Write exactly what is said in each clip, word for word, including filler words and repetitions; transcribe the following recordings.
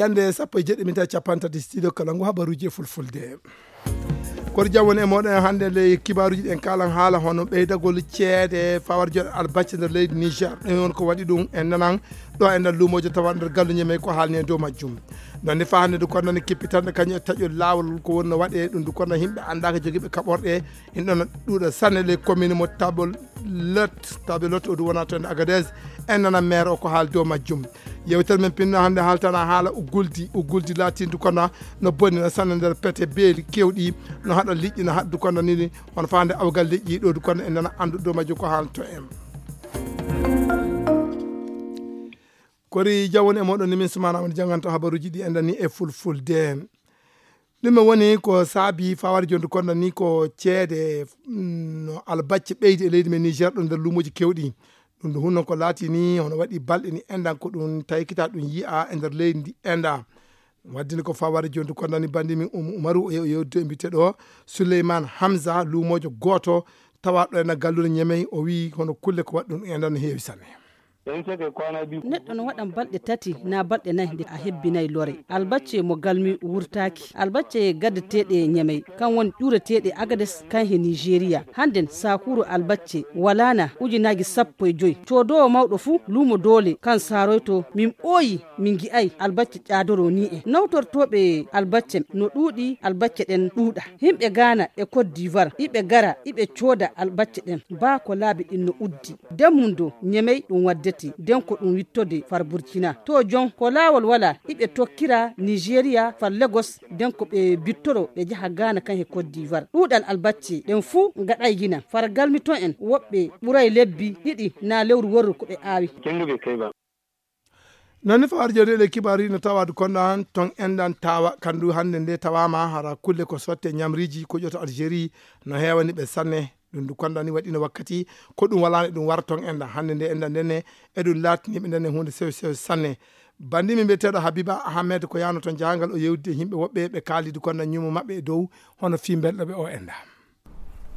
Hannde sappo e jeɗɗi minti capanɗe tati studio kala ngu habaruuji e fulfulde. Kono jam woni e mooɗon hannde nde kibaaruuji ɗen kalan haala hono ɓeydagol ceede fawar joɗe albacce nder leydi Niger. Ɗum woni ko waɗi ɗum en nanan ɗo e nder luumoojo tawa nder galluuje men ko haalni e dow majjum. Noon ne faa hannde ndu kono nani kippitanɗe kañum e taƴol laawol ko wonno waɗe ɗum ndu kono yimɓe anndaaka jogiiɓe kaɓorɗe. Ina ɗon ɗuuɗa sanne ley commune mo Tabelot, Tabelot o ɗum wona toon e Agadez. En nana maire o ko haal dow majjum. Yewtere men pinno hannde haaltana haala Uguldi. Uguldi laatindu kono no bonnina sanne nder pete beeli kewɗi, no haɗa liƴƴi, no haɗdu kono nini, hono faande awgal liƴƴi ɗo du kono en nana anndu dow majjum ko haalto en. Kori jawon e moɗon ni min sumana woni janganta habaruuji ɗi en dani e fulfulde. Ɗum woni ko saabi fawar jondu kono ni ko ceede, mm, no albacce ɓeydi e leydi men Niger ɗo nder luumoji kewɗi. Ɗum ɗo hunno ko laati ni hono waɗi balɗe ni endan ko ɗum taykita ɗum yi'a e nder leydi ndi enda. Waddini ko fawar jondu kono ni bandi min Um-, Umaru o yew-, yewdude e mbite ɗo Souleymane Hamza luumojo gooto tawa ɗo ena gallude Ñemey o wi hono kulle ko waɗɗum endan no heewi sanne. Neɗɗo no waɗan balɗe tati naa balɗe nayi nde a hebbinay lore. Albacce mo galmi wurtaaki. Albacce gaddeteeɗe Ñemey, kan woni ƴuureteeɗe Agades, kan he Nigeria. Hannden saakuuru albacce walaana ujunaaji sappo e joy. Coodoowo mawɗo fuu luumo doole kan saaroyto min ɓooyi min ngi'ay albacce ƴaadoroo nii en. Nawtortooɓe albacce no ɗuuɗi, albacce ɗen ɗuuɗa. Yimɓe Gaana e Côte d'Ivoire, iɓe gara, iɓe cooda albacce ɗen. Baa ko laabi ɗin no uddi. Demmundo Ñemey ɗum waddete, nden ko ɗum wittode far Burkina. To jon, ko laawol walaa, iɓe tokkira Nigeria far Lagos, nden ko ɓe bittoro ɓe jaha Gaana kan he Côte d'Ivoire. Ɗuuɗal albacce ɗen fuu ngaɗay gina. Far galmi ton en, woɓɓe ɓuray lebbi ɗiɗi naa lewru worru ko ɓe aawi. Noon ne fawar jawdi e kibaaru no tawaadu konda ton endan tawa kandu hannde nde tawama hara kulle ko sotte ñamriiji ko ƴoto Algérie no heewani ɓe sanne. Ɗum ndu konda ni waɗino wakkati ko ɗum walaani ɗum wara ton endan hannde nde endan ndenne e ɗum laatiniɓe ndenne huunde sew sew sanne. Bandi min mbiyeteeɗo Habiba Ahmed ko yaano ton jahangal o yewdi e yimɓe woɓɓe ɓe kaalidi konda ñumo maɓɓe e dow hono fii mbelɗo ɓe o enda.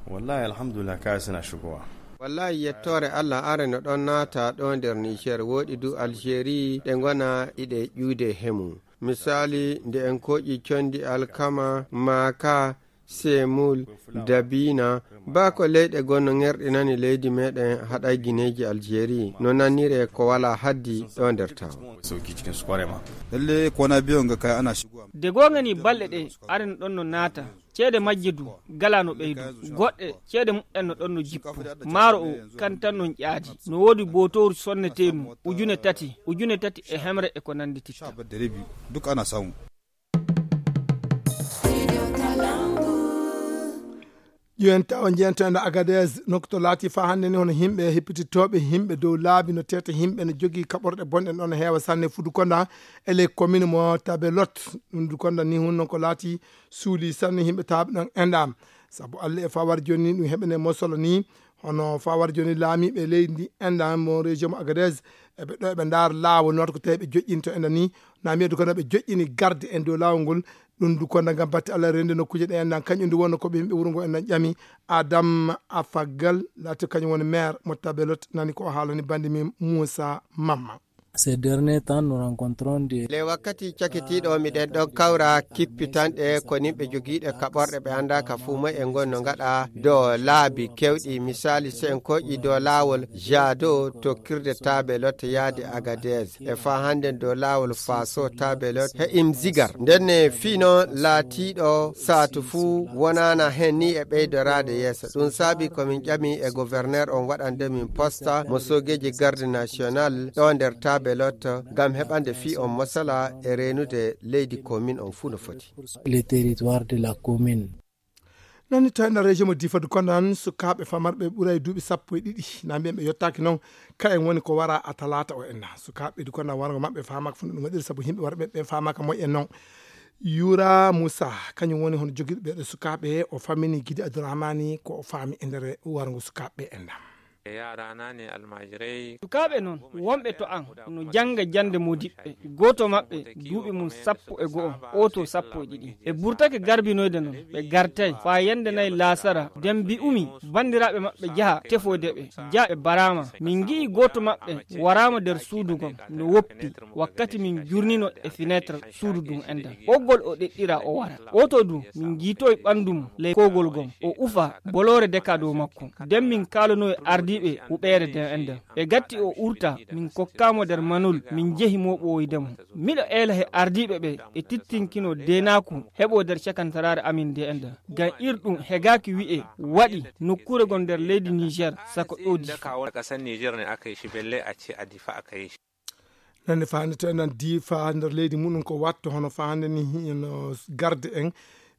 Wallahi alhamdulillah kaya sina shugowa. Wallahi yettoore Allah are no ɗon naata ɗo nder Niger woɗi du Algérie ɗe ngona iɗe ƴuude hemu. Misali nde en koƴi condi alkama, maaka, semul, dabina, ba ko leyɗe gonno ŋerɗinani leydi meɗen haɗay gineeji Algérie no nannire ko wala haddi ɗo nder taw. Sauki cikin su kware ma. Lalle ko na biyo nga kaya ana shigowa. De gonga ni balɗe ɗe are no ɗon no naata. Ceede majje du gala no ɓeydu. Goɗɗe ceede muɓɓen no ɗon no jippo. Maaro o kan tan non ƴaadi. No woodi bootooru sonneteenu ujune tati, ujune tati e hemre e ko nanndititta. Duk ana samu. Ƴuwen tawa jeyanta enda Agadez nokto laati fa hannde ni hono yimɓe heppititooɓe yimɓe dow laabi no tete yimɓe no jogii kaɓorɗe bonɗe ɗon heewa sanne fudu konda e ley commune mo Tabelot. Ɗum du konda ni hunno ko laati suuli sanne yimɓe taaɓe ɗon enɗam. Sabu Allah e fawar jooni ni ɗum heɓene mosolo ni hono fawar jooni laamiiɓe leydi ndi enɗam mo région mo Agadez eɓe ɗo eɓe ndaar laawol noota ko tawi ɓe joƴƴinto enɗam ni na mbiyedu kono ɓe joƴƴini garde en dow laawol ngol. Ɗum du kono ngam batte Allah rende nokkuuje ɗe enɗam kañum du wonno ko ɓe yimɓe wuro ngo enɗam ƴami Adam Afagal laati kañum woni maire mo Tabelot nani ko o haalani bandi min Moussa Mamma. Ces derniers temps, nous rencontrons des. Le wakkati cakitiiɗo miɗen ɗon kawra kippitanɗe ko nimɓe jogiiɗe kaɓorɗe ɓe annda ka fuu moy e ngon no ngaɗa dow laabi kewɗi. Misali, so en koƴi dow laawol Jado tokkirde Tabelot yaade Agadez. E faa hannden dow laawol Faso Tabelot he Imzigar. Nden ne fii noon laatiiɗo saatu fuu wonaana heen ni e ɓeydoraade yeeso. Ɗum saabi ko min ƴami e gouverneur on waɗande min posta mo soogeeji garde national ɗo nder Tabelot ngam heɓande fii on masala e reenude leydi commune on fuu no foti. Le territoire de la commune. Nani to enɗa région mo Difa du kono nan sukaaɓe famarɓe ɓuray duuɓi sappo e ɗiɗi na mbiyen ɓe yottaaki noon ka en woni ko wara a talaata o enna sukaaɓe du kono nan wargo maɓɓe faamaaka fo no ɗum waɗiri sabu yimɓe warɓe ɓe faamaaka moƴƴen noon. Yura Moussa kañum woni hono jogiiɗo ɓeeɗo sukaaɓe o fammini Gidi Abdourahmani ko o faami e nder wargo sukaaɓe enɗa. Sukaaɓe noon wonɓe to an no jannga jannde moodiɓɓe. Gooto maɓɓe duuɓi mum sappo e go'o, ooto sappo e ɗiɗi. Ɓe burtake garbinoyde noon, ɓe gartay faa yannde nay laasara. Nden mbi'umi banndiraaɓe maɓɓe jaha tefoyde ɓe. Jaa ɓe baraama. Min ngi'i gooto maɓɓe waraama nder suudu ngon no woppi. Wakkati min jurnino e finetre suudu ndun enɗan, ɓoggol o ɗeɗɗira o wara. Ooto du min ngiitoyi ɓanndu mum ley kowgol ngon, o ufa boloore deka dow makko. Nden min kaalanoyi ardiiɓe huɓeere nden enɗan. Ɓe gatti o urta, min kokkaa mo nder manol, min njehi mooɓoyde mo. Miɗo eela he ardiiɓe ɓe e tittinkino deenaaku heɓoo nder cakantaraare amin nde enɗan. Ngam ir ɗum hegaaki wi'e waɗi nokkuure ngon nder leydi Niger, sako ɗo Difa. Nande faande to enen Difa nder leydi muɗum ko watto hono faande ni hino garde en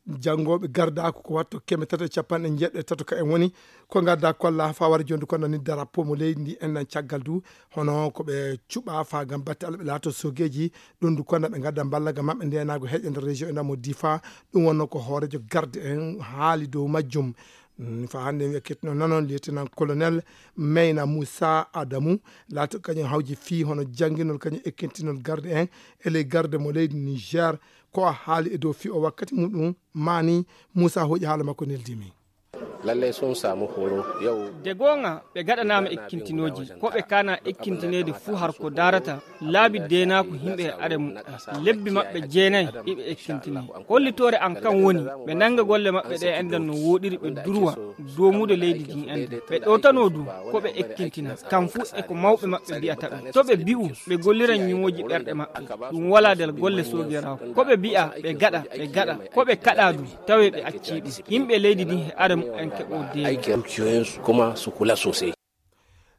janngooɓe gardaaku ko watto keme tati e capanɗe njeeɗiɗo e tato ka en woni ko ngadda kolla fawar jondu kono ni darapo mo leydi ndi en nan caggal du hono ko ɓe cuɓa fa gam batte Allah ɓe laato sogeeji ɗum du kono ɓe ngadda mballa gam maɓɓe ndenaago heƴe nder région ena mo Difa ɗum wonno ko hoorejo garde en haali dow majjum. Mm, fa hannde en ekkitino nanon lieutenant colonel Meyna Moussa Adamou laata kañum hawji fii hono jannginol kañum ekkintinol garde en e ley garde mo leydi Niger ko a haali e dow fii o wakkati muɗum maani Moussa hooƴi haala makko neldimi. Lallai sun samu horo yau. De goonga ɓe gaɗanaama ekkintinooji ko ɓe kaana ekkintineede fuu har ko daarata laabi deenaaku yimɓe e are muɓɓen. Lebbi maɓɓe jeenay iɓe ekkintinii. Hollitoore an kan woni ɓe nannga golle maɓɓe ɗe enɗan no wooɗiri ɓe durwa doomude leydi ndin enɗan. Ɓe ɗowtanoo du ko ɓe ekkintina. Kam fuu e ko mawɓe maɓɓe mbi'ata ɓe. To ɓe mbi'u ɓe golliran ñiŋooji ɓerɗe maɓɓe. Ɗum walaa nder golle soogeraaku. Ko ɓe mbi'a ɓe gaɗa, ɓe gaɗa. Ko ɓe kaɗaa du, tawee ɓe accii ɗum. Yimɓe leydi ndin e are muɓɓen keɓoo deeni. Aikin dukiyoyinsu kuma su kula sosai.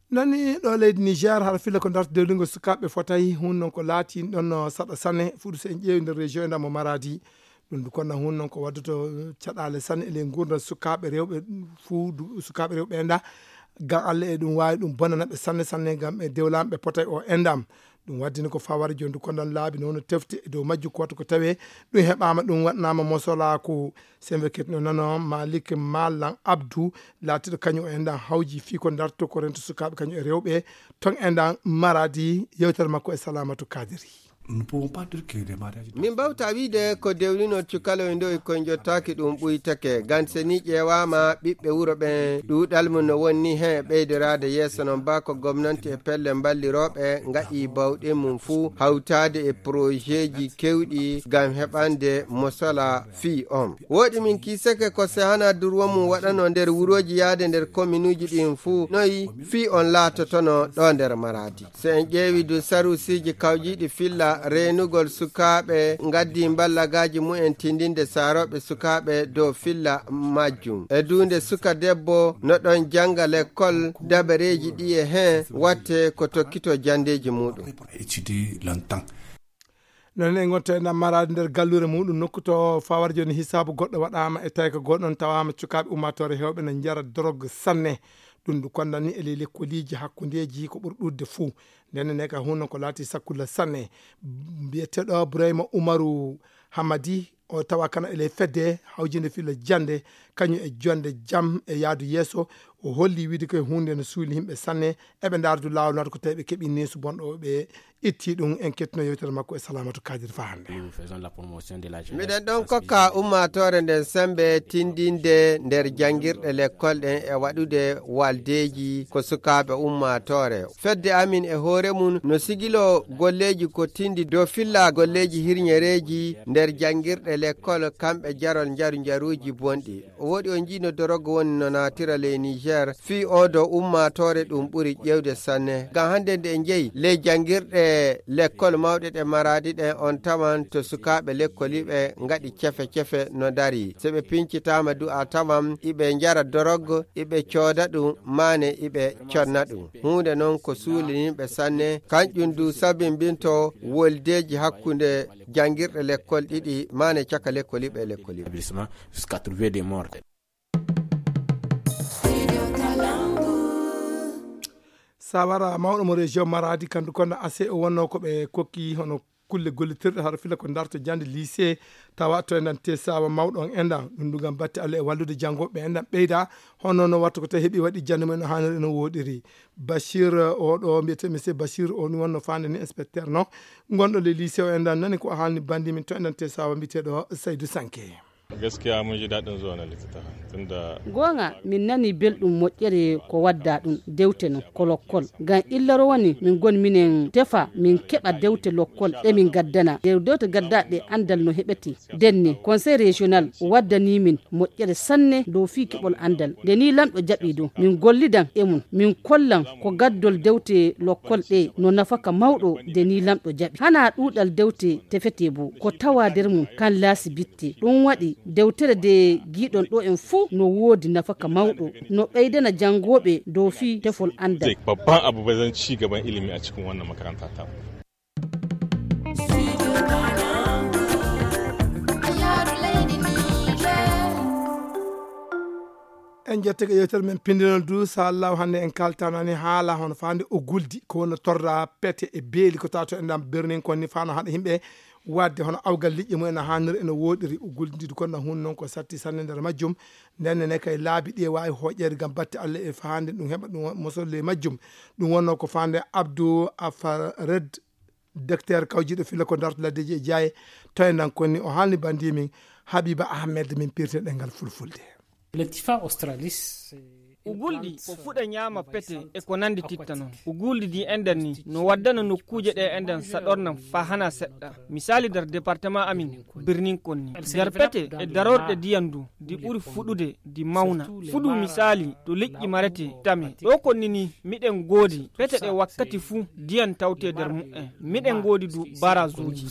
Nani ɗo leydi Niger hara filla ko darta dewlingol sukaaɓe fotay hun non ko laati ɗon saɗa sane fuɗu so en ƴeewi nder région e ndamo Maradi. Ɗum du konna hun non ko wadduto caɗaale sane e ley ngurdam sukaaɓe rewɓe fuu du sukaaɓe rewɓe enda gam Allah e ɗum waawi ɗum bonana ɓe sanne sanne gam ɓe dewlaama ɓe potay o endam. Ɗum waddini ko fawari joni du konna laabi nono tefte e dow majju ko wattu ko tawe ɗum heɓaama ɗum waɗnaama mosolaaku. Sembe ketno nano Malik Malan Abdou laatiɗo kañum o enɗan hawji fii ko darto ko rento sukaaɓe kañum e rewɓe ton enɗan Maradi. Yewtere makko e Salamatu Kadiri. Nous ne pouvons pas dire que les mariages. Min mbawta wiide ko dewlinol cukaloy ndoy koye jottaaki ɗum ɓuytake gam se ni ƴeewaama ɓiɓɓe wuro ɓen ɗuuɗal mum no wonni heen e ɓeydoraade yeeso non ba ko gomnanti e pelle mballirooɓe ngaɗi bawɗe mum fuu hawtaade e projeeji kewɗi gam heɓande mosala fii on. Wooɗi min kiisake ko sehana durwo mum waɗanoo nder wurooji yaade nder kominuuji ɗin fuu noy fii on laatotono ɗo nder Maradi. So en ƴeewi du sarusiiji kawjiiɗi filla reenugol sukaaɓe ngaddi mballagaaji mumen tindinde saarooɓe sukaaɓe dow filla majjum. E duunde suka debbo no ɗon jannga lekkol dabareeji ɗi e heen watte ko tokkito janndeeji muuɗum. Étudier longtemps. Noon en ngonta e Maradi nder galluure muɗum nokku to fawar joni hisaabu goɗɗo waɗaama e tawi ko goɗɗon tawaama cukaaɓe ummaatoore heewɓe no njara dorog sanne. Ɗum ɗum konnani e ley lekkoliiji hakkundeeji ko ɓuri ɗuuɗde fuu. Ndenne ne ka hunno ko laati sakkulla sanne. Mbiyeteeɗo Burayma Umaru Hamadi o tawa kana e ley fedde hawjinde filla jannde kañum e jonde jam e yaadu yeeso. O holli wiide koye huunde no suuli yimɓe sanne eɓe ndaardu laawol naata ko tawi ɓe keɓi neesu bonɗo ɓe itti ɗum en kettino yewtere makko e Salamatu Kadir fa hannde. Miɗen ɗon kokka ummaatoore nden sembe tindinde nder janngirɗe lekkol ɗen e waɗude waldeeji ko sukaaɓe ummaatoore. Fedde amin e hoore mum no sigilo golleeji ko tindi dow filla golleeji hirñereeji nder janngirɗe lekkol kamɓe jarol njaru njaruuji bonɗi. O woɗi on njiino dorogo woni no naatira ley Niger fii oo do ummaatoore ɗum ɓuri ƴeewde sanne. Ngam hannde nde en njeyi ley janngirɗe lekkol mawɗe ɗe Maradi ɗen on tawan to sukaaɓe lekkoliiɓe ngaɗi cefe cefe no ndarii. So ɓe pincitaama du a tawan iɓe njara dorogo, iɓe cooda ɗum, maane iɓe conna ɗum. Huunde non ko suulinimɓe sanne, kanƴum du sabimbinto woldeeji hakkunde janngirɗe lekkol ɗiɗi, maane caka lekkoliiɓe e lekkoliiɓe. Sawara mawɗo mo région Maradi kandu kono ase o wonno ko ɓe kokki hono kulle gollitirɗe hara fila ko darto jannde lycée, tawa to enɗan tesawa mawɗo on enɗan. Ɗum ɗum ngam batte Allah e wallude janngooɓe enɗan ɓeyda, hono no watta ko tawi heɓi waɗi jannde mum no haaniri no woɗiri. Bachir, oɗo mbiyetee monsieur Bachir, o ni wonno faande ni inspecteur no, gonɗo le lycée o enɗan nani ko haalni bandi min to enɗan tesawa mbiyeteeɗo Saydou Sanke. Gaskiya mun ji daɗin zuwa na littattafa tunda goonga, min nani belɗum moƴƴere ko wadda ɗum dewte non ko lokkol. Ngam illaro woni min ngoni minen tefa min keɓa dewte lokkol ɗe min gaddana. Ɗe dewte gaddaɗe anndal no heɓete. Nden ni, Conseil Régional waddani min moƴƴere sanne dow fii keɓol anndal. Nde ni lamɗo jaɓi ɗum, min gollidan e mum, min kollan ko gaddol dewte lokkol ɗe no nafaka mawɗo. Nde ni lamɗo jaɓi. Hana ɗuuɗal dewte tefete bo, ko tawa nder mum kan laasi bitte. Ɗum waɗi dewtere nde giɗon ɗo en fuu no woodi nafaka mawɗo, no ɓeydana janngooɓe dow fii tefol anndal. Babban abu bai zan ci gaban ilimi a cikin wannan makaranta ta. En jettake yewtere men pindinol du, so Allah hannde en kaltanani haala hono faande o guldi ko wonno torra pete e beeli ko tato e ndam birnin kon ni fano haɗa yimɓe wadde hono awgal liƴƴi mumen no hanniri ene woɗiri o guldi ndi kon na hun noon ko satti sanne nder majjum. Nden ne kay laabi ɗi e wawi hoƴƴeede ngam batte Allah e faande ɗum heɓa ɗum mosolle e majjum. Ɗum wonno ko faande Abdou Afared, docteur kawjiɗo filla ko darto laddeji e jaaye. Tawi nan konni o haalni bandi min Habiba Ahmed min pirte ɗengal fulfulde. Latifa australis. Ugulɗi ko fuɗa ñaama pete e ko nandi titta noon. Ugulɗi ɗi enɗan ni no waddana nokkuuje ɗe enɗan saɗornam faa hana seɗɗa. Misaali nder département amin birnin konni. Nder pete e darorɗe diyan du ɗi ɓuri fuɗude ɗi mawna. Fuɗu misaali to liƴƴi marete tame. Ɗo konni ni miɗen ngoodi pete ɗe wakkati fuu diyan tawte nder mu'en. Miɗen ngoodi du barasuuji.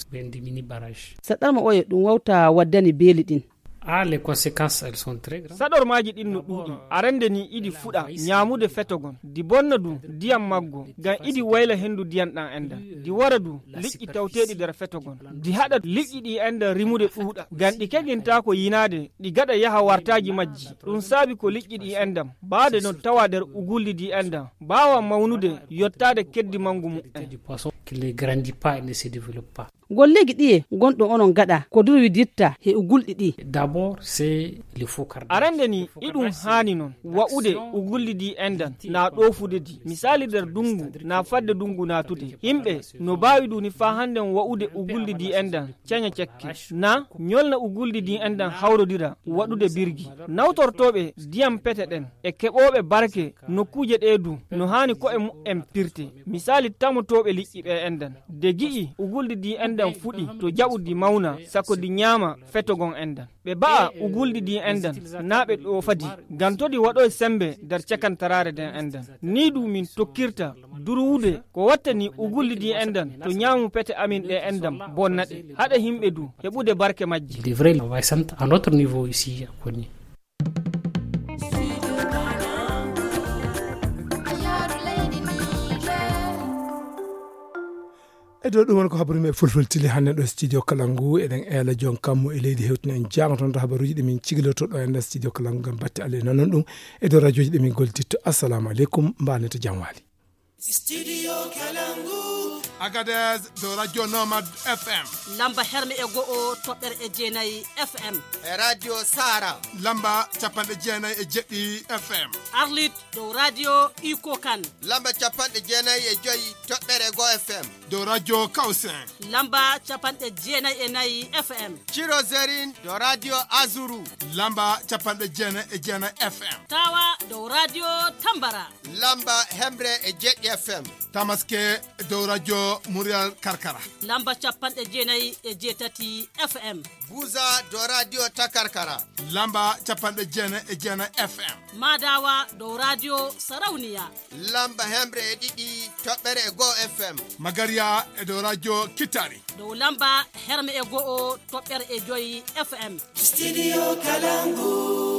Saɗarma oye ɗum wawta waddani beeli ɗin. Ah, les conséquences, elles sont très graves. Saɗormaaji ɗin no ɗuuɗi. Arande ni iɗi fuɗa ñaamude fetogon. Di bonna du diyam maggo. Ngam iɗi wayla hendu diyan ɗan enɗan. Di wara du liƴƴi tawteeɗi nder fetogon. Di haɗa liƴƴi ɗi enɗan rimude ɗuuɗa. Ngam ɗi kegintaako yinaade, ɗi gaɗa yaha wartaaji majji. Ɗum saabi ko liƴƴi ɗi enɗan. Baade non tawa nder ugulli ɗi enɗan. Baawa mawnude yottaade keddi mangu mu'en. Du poisson qui ne grandit pas et ne se développe pas. Golleeji ɗiye gonɗo onon gaɗa ko durwidirta he ugulɗi ɗi? D'abord, c'est le faux cardage. Arande ni, iɗum haani non, wa'ude ugulli ɗi enɗan, na ɗoofude ɗi. Misaali nder dungu, na fadde dungu naatude. Yimɓe no baawi ɗum ni faa hannden wa'ude ugulli ɗi enɗan, caña cekke. Na ñolna ugulli ɗi enɗan hawrodira, waɗude birgi. Nawtortooɓe diyam pete ɗen, e keɓooɓe barke nokkuuje ɗee du, no haani ko'e mu'en pirte. Misaali tamotooɓe liƴƴi ɓe enɗan. De gi'i uguldi di enɗan fuɗi to jaɓu di mawna, sako di ñaama fetogon enɗan. Ɓe ba'a uguldi di enɗan, naa ɓe ɗoofadi, ngam to di waɗoy sembe nder cakantaraare nden enɗan. Nii du min tokkirta durwude ko wattani uguldi di enɗan to ñaamu pete amin ɗe enɗan bonna ɗe, haɗa himɓe du heɓude barke majji. Il devrait envoyer ça à notre niveau ici à Koni. E dow ɗum woni ko habru men fulfulde tili hannde ɗo studio Kalangu. Eɗen eela jon kammu e leydi hewtina en jaango toon to habaruuji ɗi min cigiloto ɗo e nder studio Kalangu ngam batte Allah e nanon ɗum e dow radiooji ɗi min gollititto. Assalamu aleykum, mbaanete jam waali. Studio Kalangu. Agadez dow radio Nomad F M. Lamba herme e go'o toɓɓere e jeenayi F M. E radio Sara. Lamba capanɗe jeenayi e jeɗɗi F M. Arlit dow radio Iko Kan. Lamba capanɗe jeenayi e joyi toɓɓere go F M. Dow radio Kawsen. Lamba capanɗe jeenayi e nayi F M. Ciro Zerin dow radio Azuru. Lamba capanɗe jeenayi e jeenayi F M. Tawa dow radio Tambara. Lamba hemre e jeɗɗi F M. Tamaske dow radio Muryal Karkara. Lamba capanɗe jeenayi e jeetati F M. Buza dow radio Takarkara. Lamba capanɗe jeenayi e jeenayi F M. Madawa dow radio Sarauniya. Lamba hemre e ɗiɗi toɓɓere e go F M. Magariya e dow radio Kitari. Dow lamba herme e go'o toɓɓere e joyi F M. Studio Kalangu.